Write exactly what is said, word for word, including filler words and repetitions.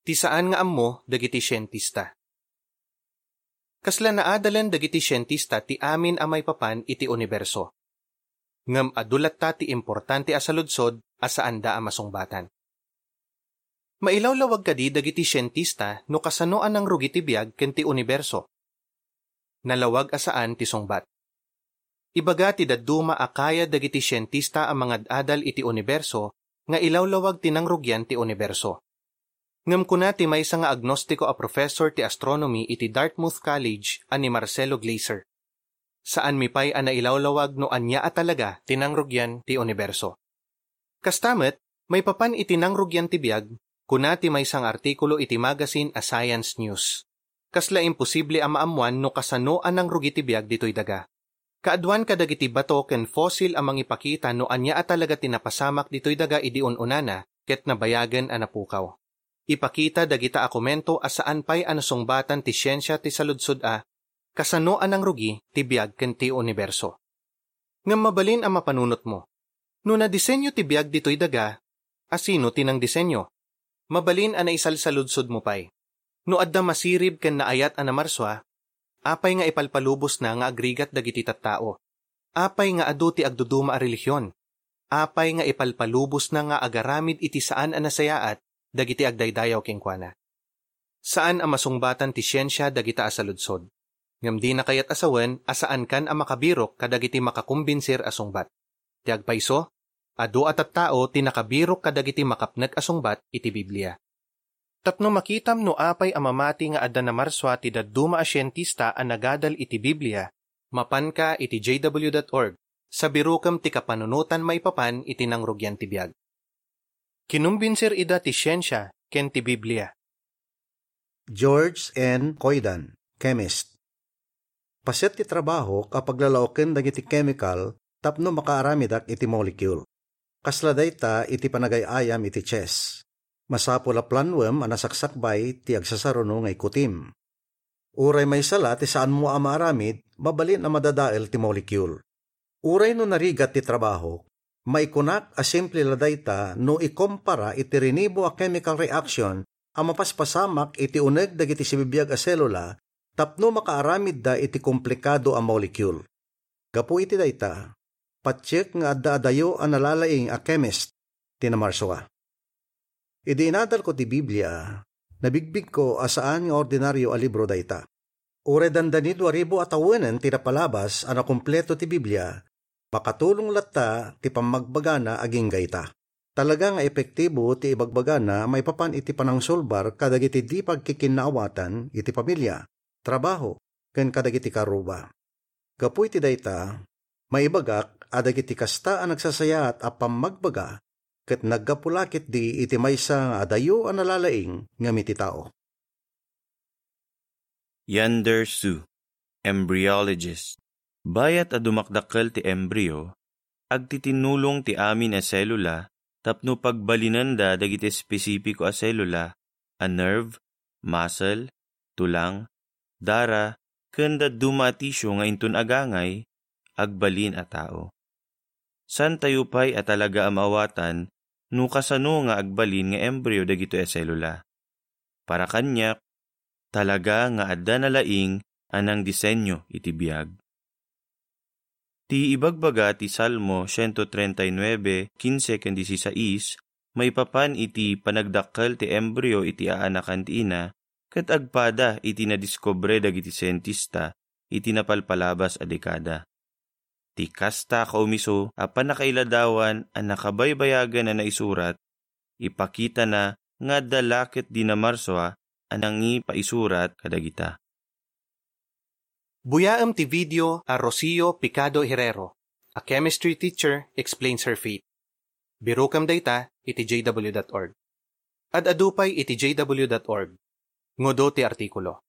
Ti saan nga ammo dagiti sientista. Kasla naadalen dagiti sientista ti amin a maipapan iti uniberso. Ngem adu latta ti importante a saludsod a saanda a masungbatan. Mailawlawag kadi dagiti sientista no kasano a nangrugi ti biag ken ti uniberso? Nalawag a saan ti sungbat. Ibaga ti dadduma a kayad dagiti sientista a mangad-adal iti uniberso nga ilawlawag ti nangrugian ti uniberso. Ngem kuna ti maysa nga agnostiko a professor ti astronomy iti Dartmouth College a ni Marcelo Glaser, "Saanmi pay a nailawlawag no ania a talaga ti nangrugian ti uniberso." Kasta met, maipapan iti nangrugian ti biag, kuna ti maysa nga artikulo iti magazine a Science News, "Kasla imposible a maammuan no kasano a nangrugi ti biag ditoy daga. Kaaduan kadagiti bato ken fossil a mangipakita no ania a talaga ti napasamak ditoy daga idi un-unana ket nabayagen a napukaw. Ipakita dagita a komento a saan pay a nasungbatan ti siensia ti saludsod a kasano a nangrugi ti biag ken ti uniberso." Ngem mabalin a mapanunotmo, no nadisenyo ti biag ditoy daga, a sino ti nangdisenyo? Mabalin a naisalsaludsodmo pay, no adda masirib ken naayat a namarsua, apay nga ipalpalubosna nga agrigat dagiti tattao? Apay nga adu ti agduduma a relihion? Apay nga ipalpalubosna nga agaramid iti saan a nasayaat dagiti agdaydayaw kenkuana? Saan a masungbatan ti siensia dagita a saludsod. Ngem dina kayat a sawen a saankan a makabirok kadagiti makakombinsir a sungbat. Ti agpayso, adu a tattao ti nakabirok kadagiti makapnek a sungbat iti Biblia. Tapno makitam no apay a mamati nga adda namarsua ti dadduma a sientista a nagadal iti Biblia, mapanka iti J W dot org, sa birokem ti kapanunotan maipapan iti nangrugian ti biag. Kinumbinsir ida ti siensia ken ti Biblia. George N. Coidan, chemist. Paset ti trabahok a paglalaoken dagiti chemical tapno makaaramidak iti molecule. Kasla dayta iti panagay-ayam iti chess. Masapul a planuem a nasaksakbay ti agsasaruno nga ikutim. Uray maysa la ti saanmo a maaramid, mabalin a madadael ti molecule. Uray no narigat ti trabahok, maikunak a simple la dayta no ikompara iti rinibo a chemical reaction a mapaspasamak iti uneg dagiti sibibiag a selula tapno makaaramidda iti komplikado a molecule. Gapu iti dayta, patiek nga adda adayo a nalalaing a chemist ti namarsua. Idi inadalko ti Biblia, nabigbigko a saan nga ordinario a libro dayta. Uray dandani dua ribu a tawenen ti napalabas a nakumpleto ti Biblia, makatulong latta ti pammagbagana agingga ita. Talaga nga epektibo ti ibagbagana maipapan iti panangsulbar kadagiti di pagkikinnaawatan iti pamilia, trabaho, ken kadagiti karuba. Gapu iti dayta, maibagak a dagiti kasta a nagsasayaat a pammagbaga ket naggapu la ketdi iti maysa nga adayo a nalalaing ngem iti tao. Yander Su, embryologist. Bayat a dumakdakkel ti embryo, agtitinulong ti amin a selula tapno pagbalinenda dagiti espesipiko a selula a nerve, muscle, tulang, dara, ken dadduma a tisio nga inton agangay, agbalin a tao. Saantayo pay a talaga a maawatan no kasano nga agbalin nga embryo dagitoy a selula. Para kaniak, talaga nga adda nalaing a nangdisenyo iti biag. Ti ibagbaga ti Salmo siento treinta y nueve, quince ken dieciséis, maipapan iti panagdakkel ti embryo iti aanakan ti ina, ket agpada iti nadiskubre dagiti sientista iti napalpalabas a dekada. Ti kasta a kaumiso a pannakailadawan a nakabaybayagen a naisurat, ipakitana nga adda la ketdi namarsua a nangipaisurat kadagita. Buyaem ti video a Rocio Picado Herrero, a chemistry teacher, explains her fate. Birokem dayta iti J W dot org. Ad-adu pay iti J W dot org. Ngudo ti artikulo.